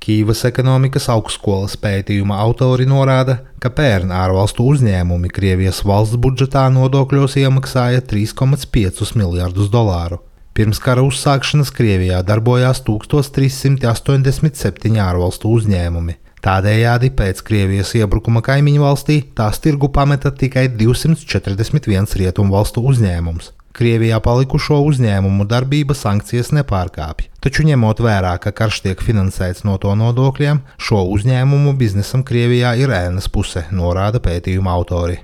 Kīivas ekonomikas augstskolas pētījuma autori norāda, ka pērn ārvalstu uzņēmumi Krievijas valsts budžetā nodokļos iemaksāja $3,5 miljardus. Pirms kara uzsākšanas Krievijā darbojās 1387 ārvalstu uzņēmumi. Tādējādi pēc Krievijas iebrukuma kaimiņu valstī tās tirgu pameta tikai 241 rietumvalstu uzņēmums. Krievijā palikušo uzņēmumu darbība sankcijas nepārkāpj, taču ņemot vērā, ka karš tiek finansēts no to nodokļiem, šo uzņēmumu biznesam Krievijā ir ēnas puse, norāda pētījuma autori.